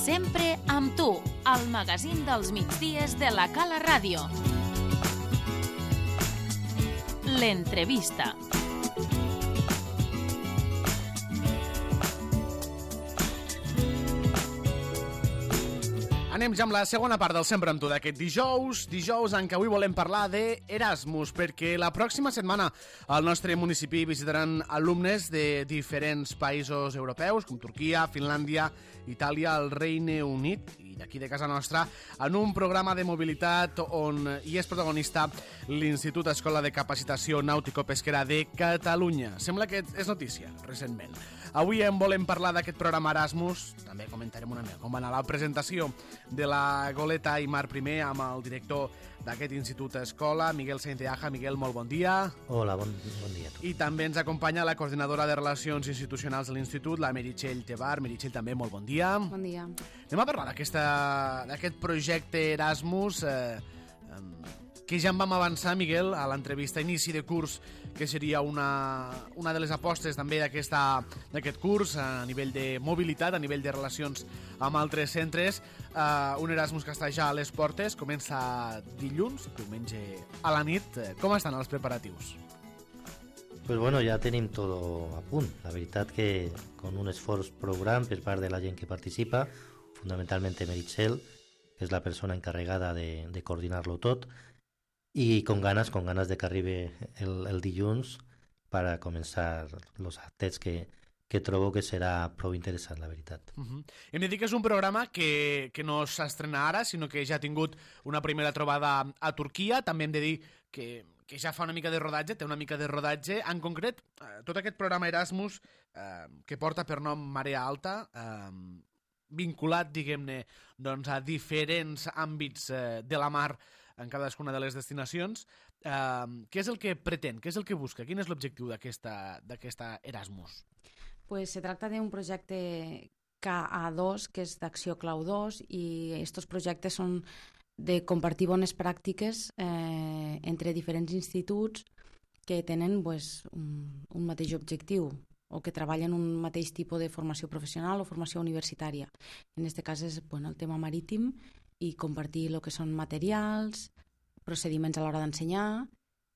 Sempre amb tu, al magazín dels migdies de la Cala Ràdio. L'entrevista. Anem ja amb la segona part del Sempre amb tu d'aquest dijous en què avui volem parlar d'Erasmus, perquè la pròxima setmana al nostre municipi visitaran alumnes de diferents països europeus, com Turquia, Finlàndia, Itàlia, el Regne Unit i d'aquí de casa nostra, en un programa de mobilitat on hi és protagonista l'Institut Escola de Capacitació Nàutico-Pesquera de Catalunya. Sembla que és notícia, recentment. Avui en volem parlar d'aquest programa Erasmus, també comentarem una mica com va anar la presentació de la goleta Aimar I amb el director d'aquest Institut Escola, Miguel Sainteaja. Miguel, molt bon dia. Hola, bon dia a tu. I també ens acompanya la coordinadora de Relacions Institucionals de l'Institut, la Meritxell Tebar. Meritxell, també molt bon dia. Bon dia. Anem a parlar d'aquest projecte Erasmus, que ja en vam avançar, Miguel, a l'entrevista inici de curs, que seria una de les apostes també d'aquest curs a nivell de mobilitat, a nivell de relacions amb altres centres. Un Erasmus que està ja a les portes, comença dilluns, diumenge a la nit. Com estan els preparatius? Pues bueno, ja tenim tot a punt. La veritat que con un esforç prou gran per part de la gent que participa, fundamentalment Meritxell, que és la persona encarregada de coordinar-lo tot, i con ganas de que arribi el dilluns per a començar els actes que trobo que serà prou interessant, la veritat. Hem de dir que és un programa que no s'estrena ara, sinó que ja ha tingut una primera trobada a Turquia. També hem de dir que ja fa una mica de rodatge, té una mica de rodatge. En concret, tot aquest programa Erasmus, que porta per nom Marea Alta, vinculat, diguem-ne, doncs, a diferents àmbits de la mar en cadascuna de les destinacions. Què és el que pretén? Què és el que busca? Quin és l'objectiu d'aquesta Erasmus? Pues se tracta d'un projecte KA2, que és d'Acció Clau 2, i aquests projectes són de compartir bones pràctiques entre diferents instituts que tenen un mateix objectiu o que treballen un mateix tipus de formació professional o formació universitària. En aquest cas és el tema marítim i compartir el que són materials, procediments a l'hora d'ensenyar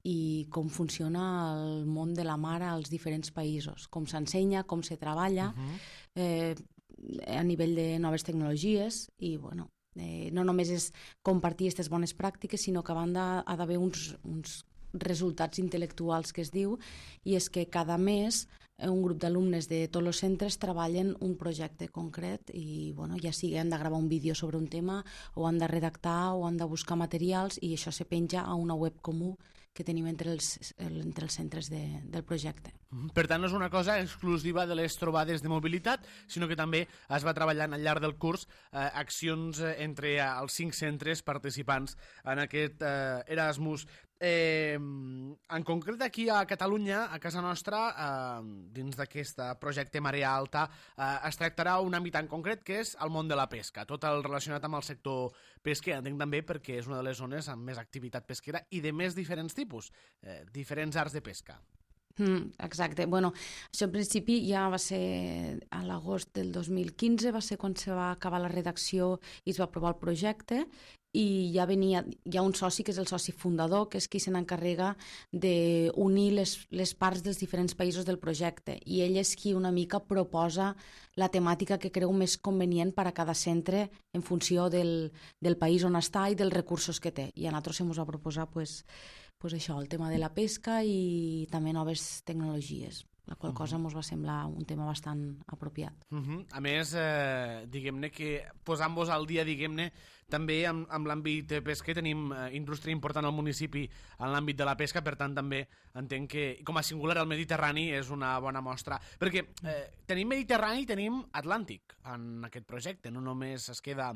i com funciona el món de la mar als diferents països, com s'ensenya, com se treballa, a nivell de noves tecnologies i, no només és compartir aquestes bones pràctiques, sinó que a banda ha d'haver uns resultats intel·lectuals que es diu, i és que cada mes un grup d'alumnes de tots els centres treballen un projecte concret i ja sigui han de gravar un vídeo sobre un tema o han de redactar o han de buscar materials i això se penja a una web comú que tenim entre els centres del projecte. Per tant, no és una cosa exclusiva de les trobades de mobilitat, sinó que també es va treballant al llarg del curs accions entre els 5 centres participants en aquest Erasmus. En concret aquí a Catalunya, a casa nostra, dins d'aquest projecte Marea Alta, es tractarà un àmbit en concret que és el món de la pesca, tot el relacionat amb el sector pesquer, entenc també perquè és una de les zones amb més activitat pesquera i de més diferents tipus, diferents arts de pesca. Exacte. Això en principi ja va ser a l'agost del 2015, va ser quan se va acabar la redacció i es va aprovar el projecte, i ja hi ha un soci que és el soci fundador, que és qui se n'encarrega d'unir les parts dels diferents països del projecte, i ell és qui una mica proposa la temàtica que creu més convenient per a cada centre en funció del país on està i dels recursos que té. I a nosaltres se ens va proposar això, el tema de la pesca i també noves tecnologies, la qual cosa ens va semblar un tema bastant apropiat. A més, diguem-ne que posant-vos al dia, diguem-ne, també amb l'àmbit pesquer tenim indústria important al municipi en l'àmbit de la pesca, per tant també entenc que com a singular el Mediterrani és una bona mostra, perquè tenim Mediterrani i tenim Atlàntic en aquest projecte, no només es queda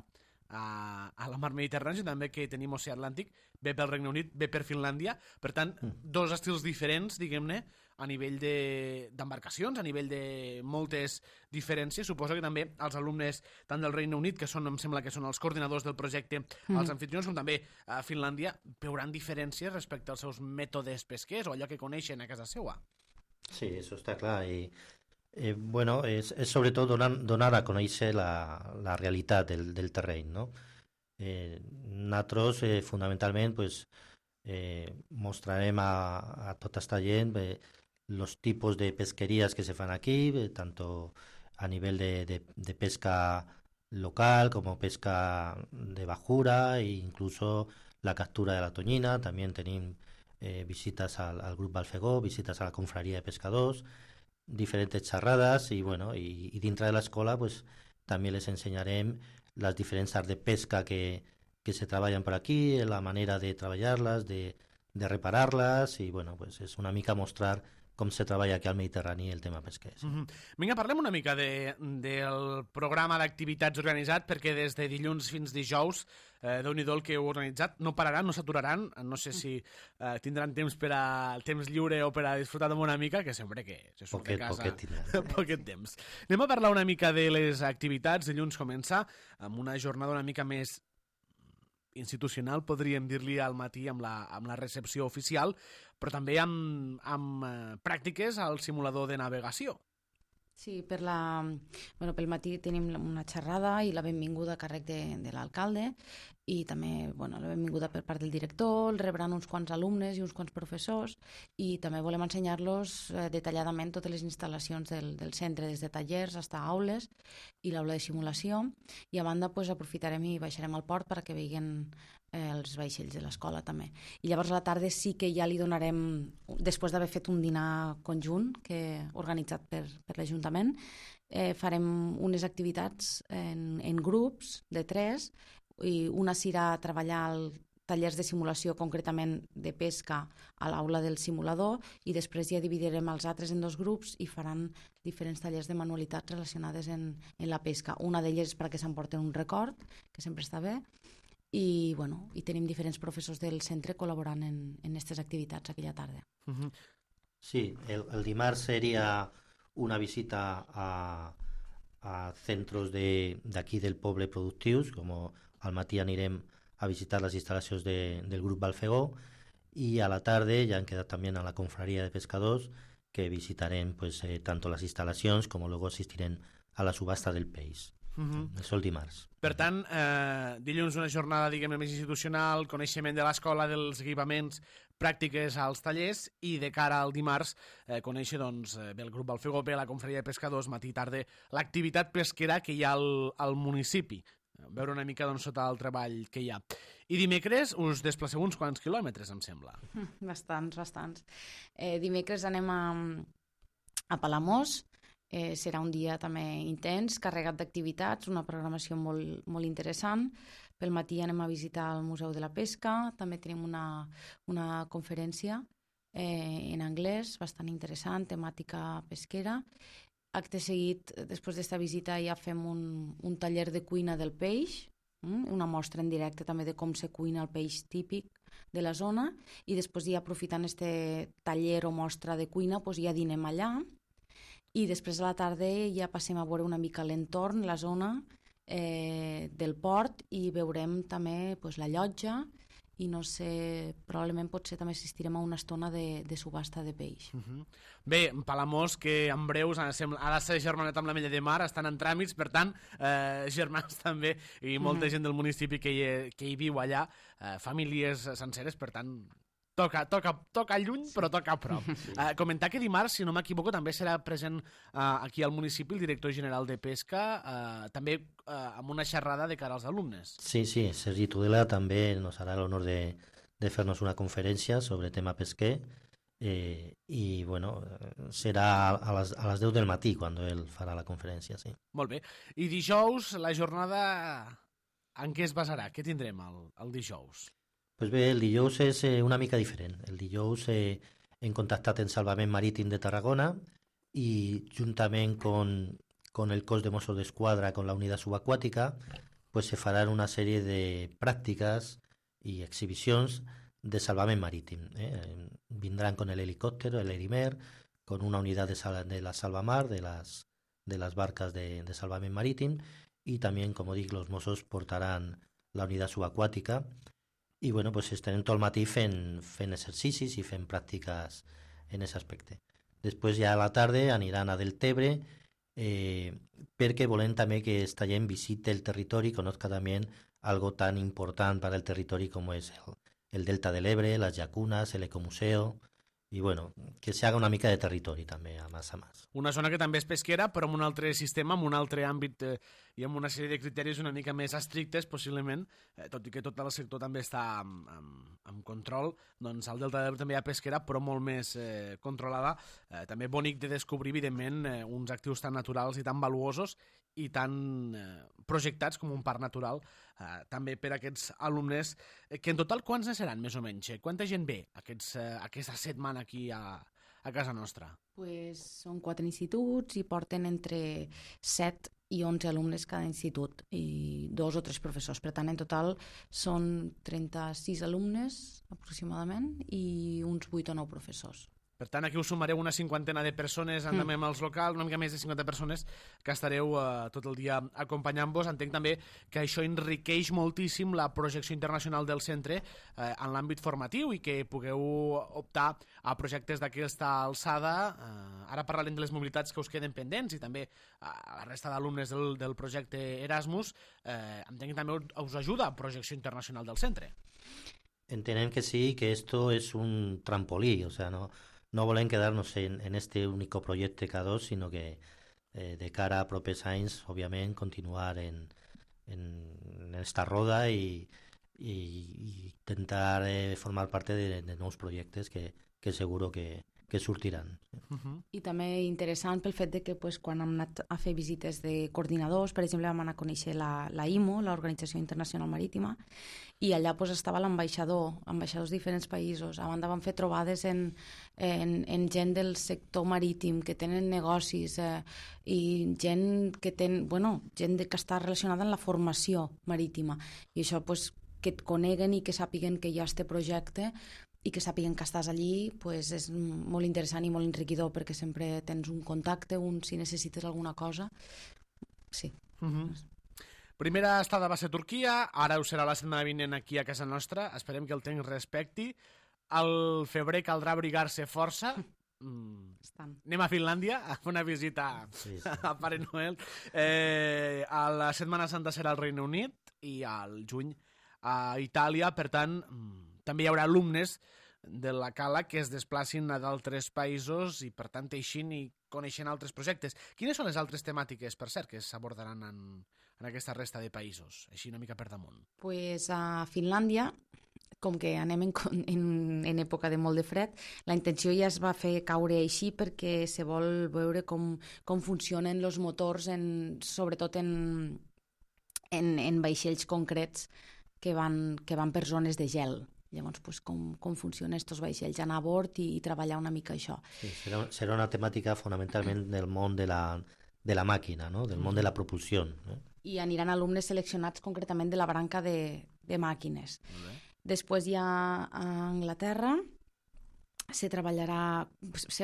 a la mar Mediterrània, també que tenim oceà Atlàntic, ve pel Regne Unit, ve per Finlàndia, per tant, dos estils diferents, diguem-ne, a nivell d'embarcacions, a nivell de moltes diferències. Suposo que també els alumnes tant del Regne Unit, que em sembla que són els coordinadors del projecte, els anfitrions, com també a Finlàndia, veuran diferències respecte als seus mètodes pesquers o allò que coneixen a casa seva. Sí, això està clar, i Bueno, és sobretot donar a conèixer la realitat del terreny, no? Nosaltres, fonamentalment, pues, mostrarem a tota esta gent los tipos de pesquerías que se fan aquí, tanto a nivel de pesca local como pesca de bajura e incluso la captura de la tonyina. También tenim visites al grup Balfegó, visites a la confraria de pescadors, diferentes xerrades i, bueno, i dintre de l'escola pues, també les ensenyarem les diferents arts de pesca que se treballen per aquí, la manera de treballar-les, de reparar-les i bueno, pues, és una mica mostrar com se treballa aquí al Mediterrani el tema pesquer. Sí. Vinga, parlem una mica del programa d'activitats organitzat, perquè des de dilluns fins dijous, Déu-n'hi-do el que heu organitzat, no pararan, no s'aturaran, no sé si tindran temps per a temps lliure o per a disfrutar una mica, que sempre que se surt de casa... Poquet tindran. Poquet temps. Anem a parlar una mica de les activitats. Dilluns comença amb una jornada una mica més institucional, podríem dir-li al matí amb la recepció oficial, però també amb pràctiques al simulador de navegació. Sí, pel matí tenim una xerrada i la benvinguda a càrrec de l'alcalde i també la benvinguda per part del director, rebran uns quants alumnes i uns quants professors i també volem ensenyar-los detalladament totes les instal·lacions del centre, des de tallers fins a aules i l'aula de simulació i a banda aprofitarem i baixarem al port perquè vegin els vaixells de l'escola també. I llavors a la tarda sí que ja li donarem, després d'haver fet un dinar conjunt organitzat per l'Ajuntament, farem unes activitats en grups de 3 i una serà treballar tallers de simulació concretament de pesca a l'aula del simulador i després ja dividirem els altres en 2 grups i faran diferents tallers de manualitats relacionades en la pesca. Una d'elles és perquè s'emporten un record, que sempre està bé, i tenim diferents professors del centre col·laborant en aquestes activitats aquella tarda. Sí, el dimarts seria una visita a centros d'aquí del poble productius, com al matí anirem a visitar les instal·lacions del grup Balfegó i a la tarda ja han quedat també a la confraria de pescadors que visitarem pues, tanto les instal·lacions com luego assistirem a la subhasta del peix. Això el dimarts. Per tant, dilluns una jornada, diguem-ne, més institucional, coneixement de l'escola, dels equipaments, pràctiques als tallers i de cara al dimarts conèixer doncs, bé el grup Balfegó, bé la confraria de pescadors, matí i tarda, l'activitat pesquera que hi ha al municipi. Veure una mica doncs, sota el treball que hi ha. I dimecres us desplaceu uns quants quilòmetres, em sembla. Bastants. Dimecres anem a Palamós. Serà un dia també intens, carregat d'activitats, una programació molt, molt interessant. Pel matí anem a visitar el Museu de la Pesca, també tenim una conferència en anglès bastant interessant, temàtica pesquera. Acte seguit, després d'esta visita ja fem un taller de cuina del peix, una mostra en directe també de com se cuina el peix típic de la zona i després ja aprofitant este taller o mostra de cuina ja dinem allà. I després a la tarda ja passem a veure una mica l'entorn, la zona del port i veurem també la llotja i no sé, probablement potser també assistirem a una estona de subhasta de peix. Bé, Palamós, que en breus ha de ser germanat amb l'Ametlla de Mar, estan en tràmits, per tant, germans també, i molta gent del municipi que hi viu allà, famílies senceres, per tant... Toca lluny, però toca a prop. Comentar que dimarts, si no m'equivoco, també serà present aquí al municipi el director general de Pesca, també amb una xerrada de cara als alumnes. Sí, Sergi Tudela també nos harà l'honor de fer-nos una conferència sobre tema pesquer i bueno, serà a les 10 del matí quan ell farà la conferència, sí. Molt bé. I dijous, la jornada en què es basarà? Què tindrem el dijous? Pues bé, el dijous és una mica diferent. El dijous hem contactat en Salvament Marítim de Tarragona i juntament con el cos de Mossos d'Esquadra, con la unitat subaquàtica, pues se faran una sèrie de pràctiques i exhibicions de salvament marítim. Vindran con el helicòptero, el Erimer, con una unitat de la Salvamar, de las barcas de salvament marítim, y también, como dic, los Mossos portaran la unitat subaquàtica. I bueno, pues estarem tot el matí fent exercicis i fent pràctiques en aquest aspecte. Després ja a la tarda aniran a Deltebre, perquè volem també que esta gent visite el territori, conozca també algo tan important para el territori com és el Delta de l'Ebre, las llacunas, el ecomuseo, i bueno, que se haga una mica de territori també, a més a més. Una zona que també és pesquera, però amb un altre sistema, amb un altre àmbit i amb una sèrie de criteris una mica més estrictes, possiblement, tot i que tot el sector també està amb control, doncs al Delta de l'Ebre també hi ha pesquera, però molt més controlada. També bonic de descobrir, evidentment, uns actius tan naturals i tan valuosos i tan projectats com un parc natural, també per a aquests alumnes, que en total quants ne seran, més o menys? Quanta gent ve aquesta setmana aquí a casa nostra? Pues són 4 instituts i porten entre 7 i 11 alumnes cada institut i 2 o 3 professors. Per tant, en total són 36 alumnes aproximadament i uns 8 o 9 professors. Per tant, aquí us sumareu una 50 de persones, també amb els locals, una mica més de 50 persones que estareu tot el dia acompanyant-vos. Entenc també que això enriqueix moltíssim la projecció internacional del centre en l'àmbit formatiu i que pugueu optar a projectes d'aquesta alçada. Ara parlarem de les mobilitats que us queden pendents i també a la resta d'alumnes del projecte Erasmus. Entenc que també us ajuda a projecció internacional del centre. Entenem que sí, que esto es un trampolí, o sea, no volem quedar-nos en este único projecte K2, sinó que de cara a propers anys, òbviament, continuar en esta roda i intentar formar part de nous projectes que seguro que sortiran. I també interessant pel fet de que quan hem anat a fer visites de coordinadors, per exemple, vam anar a conèixer la IMO, l'Organització Internacional Marítima, i allà estava l'ambaixador, ambaixadors de diferents països. A banda vam fer trobades en gent del sector marítim que tenen negocis i gent que està relacionada amb la formació marítima. I això que et coneguen i que sàpiguen que hi ha aquest projecte i que sàpiguen que estàs allí és molt interessant i molt enriquidor, perquè sempre tens un contacte, si necessites alguna cosa. Sí. Primera estada va ser Turquia, ara ho serà la setmana vinent aquí a casa nostra. Esperem que el temps respecti. Al febrer caldrà abrigar-se força. Anem a Finlàndia a fer una visita a Pare Noel. A la Setmana Santa serà al Regne Unit i al juny a Itàlia. Per tant, també hi haurà alumnes de la Cala que es desplacin a d'altres països i, per tant, teixint i coneixent altres projectes. Quines són les altres temàtiques, per cert, que s'abordaran en aquesta resta de països, així una mica per damunt? A Finlàndia, com que anem en època de molt de fred, la intenció ja es va fer caure així perquè se vol veure com funcionen els motors, sobretot en vaixells concrets que van per zones de gel. Llavors, com funcionen aquests vaixells, anar a bord i treballar una mica això. Sí, serà una temàtica fonamentalment del món de la màquina, no? Del món de la propulsió. I aniran alumnes seleccionats concretament de la branca de màquines. Després ja a Anglaterra se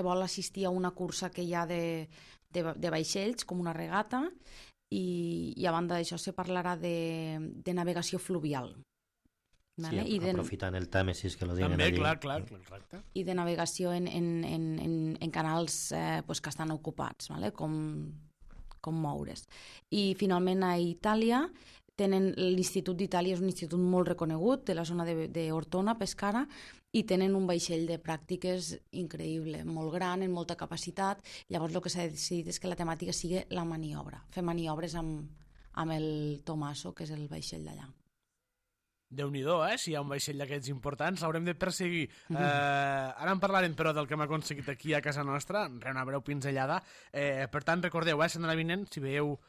vol assistir a una cursa que hi ha de vaixells, com una regata, i a banda d'això se parlarà de navegació fluvial. Sí, aprofitant el Tàmesis que lo diuen també, allí. Clar, correcte. I de navegació en canals que estan ocupats, com moure's. I finalment a Itàlia tenen l'Institut d'Itàlia, és un institut molt reconegut de la zona d'Ortona, Pescara, i tenen un vaixell de pràctiques increïble, molt gran, amb molta capacitat. Llavors el que s'ha decidit és que la temàtica sigui la maniobra, fer maniobres amb el Tomaso, que és el vaixell d'allà. Déu-n'hi-do, si hi ha un vaixell d'aquests importants, l'haurem de perseguir. Ara en parlarem, però, del que hem aconseguit aquí a casa nostra, una breu pinzellada. Per tant, recordeu, setmana vinent, si veieu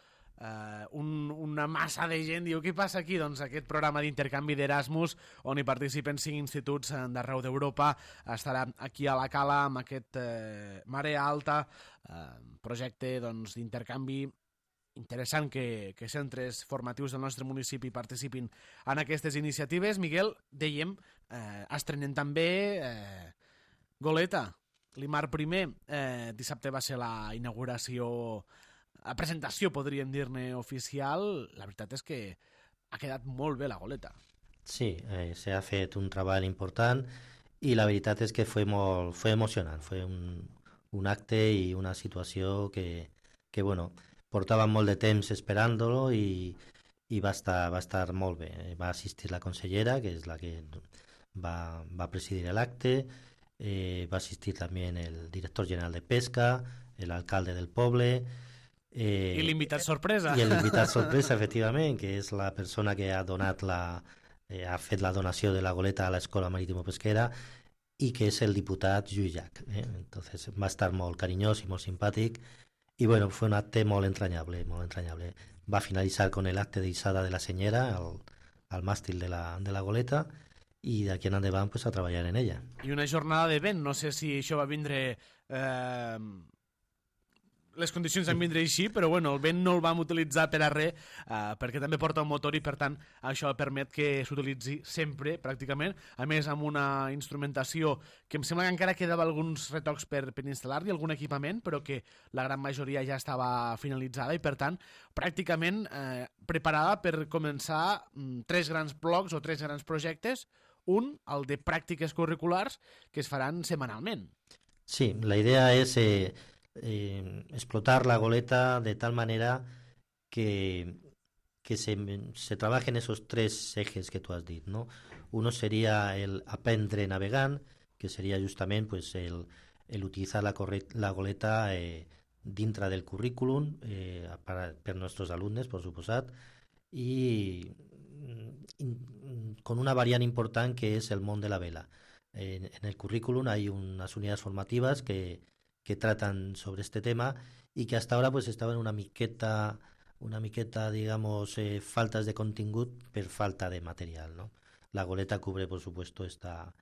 una massa de gent, diu, què passa aquí? Doncs aquest programa d'intercanvi d'Erasmus, on hi participen 5 instituts d'arreu d'Europa, estarà aquí a la Cala amb aquest Marea Alta, projecte d'intercanvi interessant que centres formatius del nostre municipi participin en aquestes iniciatives. Miguel, dèiem, estrenem també Goleta, l'Imar I. Dissabte va ser la inauguració, la presentació, podríem dir-ne, oficial. La veritat és que ha quedat molt bé la Goleta. Sí, s'ha fet un treball important i la veritat és que fue emocionant, fue un acte i una situació que bueno, portàvem molt de temps esperant-lo i va estar molt bé. Va assistir la consellera, que és la que va presidir l'acte, va assistir també el director general de Pesca, l'alcalde del poble... I l'invitat sorpresa. I l'invitat sorpresa, efectivament, que és la persona que ha fet la donació de la goleta a l'Escola Marítimo-Pesquera i que és el diputat Lluís Llach. Entonces va estar molt carinyós i molt simpàtic i bueno, fue un acte molt entrañable, molt entrañable. Va finalitzar con el acte d'Issada de la senyera al màstil de la goleta i d'aquí en endavant pues, a treballar en ella. I una jornada de vent, no sé si això va vindre... les condicions van vindre així, però bueno, el vent no el vam utilitzar per a res, perquè també porta un motor i per tant això permet que s'utilitzi sempre, pràcticament, a més amb una instrumentació que em sembla que encara quedava alguns retocs per instal·lar-hi, algun equipament, però que la gran majoria ja estava finalitzada i per tant pràcticament preparada per començar 3 grans blocs o 3 grans projectes, un, el de pràctiques curriculars, que es faran setmanalment. Sí, la idea és... explotar la goleta de tal manera que se trabajen esos 3 ejes que tú has dit, ¿no? Uno sería el aprendre navegant, que sería justament pues, el utilizar la goleta dintre del currículum per nostres alumnes, per suposat, i con una variant important que és el món de la vela. En el currículum hay unas unidades formativas que tratan sobre este tema y que hasta ahora pues estaban una miqueta digamos faltas de contingut per falta de material, ¿no? La goleta cubre por supuesto esta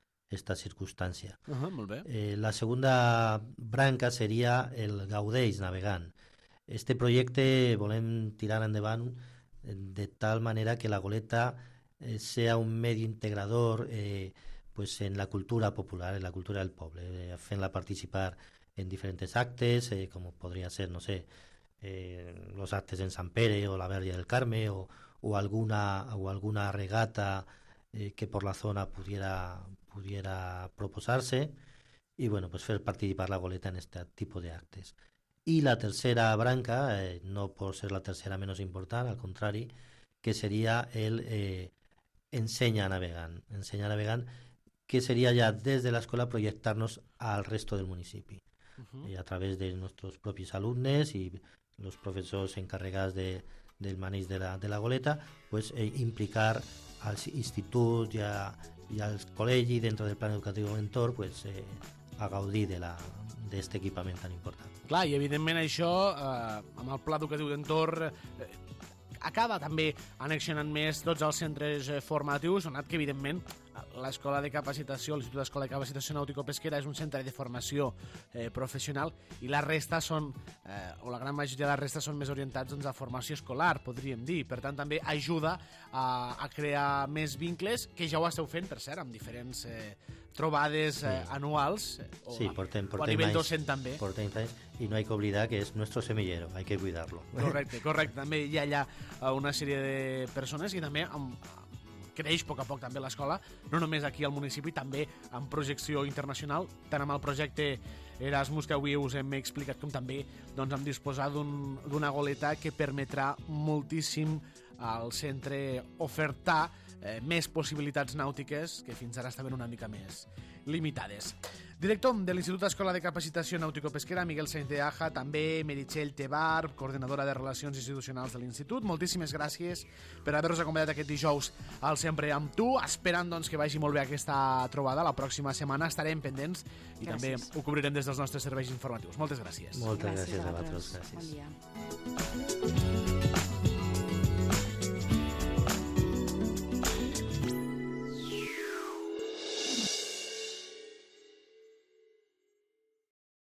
circunstancia. Molt bé. La segunda branca sería el Gaudeix navegant. Este projecte volem tirar endavant de tal manera que la goleta sea un medio integrador pues en la cultura popular, en la cultura del poble, fent-la participar en diferentes actes, como podría ser, no sé, los actes en Sant Pere o la Verge del Carme o alguna regata que por la zona pudiera proposarse y bueno, pues hacer participar la goleta en este tipo de actes. Y la tercera branca, no por ser la tercera menos importante, al contrario, que sería el Ensenya Navegant. Ensenya Navegant, que sería ya desde la escuela proyectarnos al resto del municipio. A través de nuestros propios alumnos y los profesores encarregados del manejo de la goleta, pues implicar al institut y al col·legi dentro del plan educatiu mentor pues, a gaudir d'aquest equipament tan important. Clar, i evidentment això, amb el pla educatiu d'entorn, acaba també annexionant més tots els centres formatius, donat que evidentment l'Escola de Capacitació, l'Institut d'Escola de Capacitació Nàutico-Pesquera és un centre de formació professional i la resta són, o la gran majoria de la resta són més orientats doncs, a formació escolar, podríem dir. Per tant, també ajuda a crear més vincles, que ja ho esteu fent, per cert, amb diferents trobades anuals, o a nivell docent també. Portem anys, i no hay que oblidar que és nuestro semillero, hay que cuidarlo. Correcte. També hi ha allà una sèrie de persones i també creix a poc també l'escola, no només aquí al municipi, també amb projecció internacional, tant amb el projecte Erasmus que avui us hem explicat, com també doncs, amb disposar d'una goleta que permetrà moltíssim al centre ofertar més possibilitats nàutiques que fins ara estaven una mica més limitades. Director de l'Institut d'Escola de Capacitació Nàutico-Pesquera, Miguel Sainz de Aja, també Meritxell Tebar, coordinadora de Relacions Institucionals de l'Institut. Moltíssimes gràcies per haver-nos acompanyat aquest dijous al Sempre amb tu, esperant doncs, que vagi molt bé aquesta trobada. La pròxima setmana estarem pendents i també ho cobrirem des dels nostres serveis informatius. Moltes gràcies. Moltes gràcies a vosaltres. Bon dia.